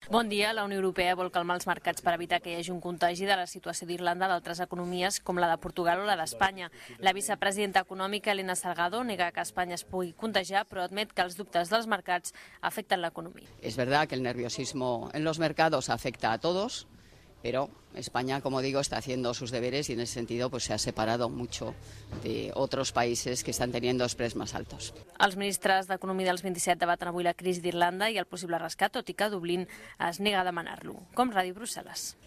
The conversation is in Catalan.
Bon dia. La Unió Europea vol calmar els mercats per evitar que hi hagi un contagi de la situació d'Irlanda d'altres economies com la de Portugal o la d'Espanya. La vicepresidenta econòmica Elena Salgado nega que Espanya es pugui contagiar, però admet que els dubtes dels mercats afecten l'economia. Es verdad que el nerviosismo en los mercados afecta a todos, pero España, como digo, está haciendo sus deberes y en ese sentido pues se ha separado mucho de otros países que están teniendo spreads más altos. Els ministres d'Economia dels 27 debaten avui la crisi d'Irlanda i el possible rescat, tot i que Dublín es nega a demanar-lo. Com Ràdio Brussel·les.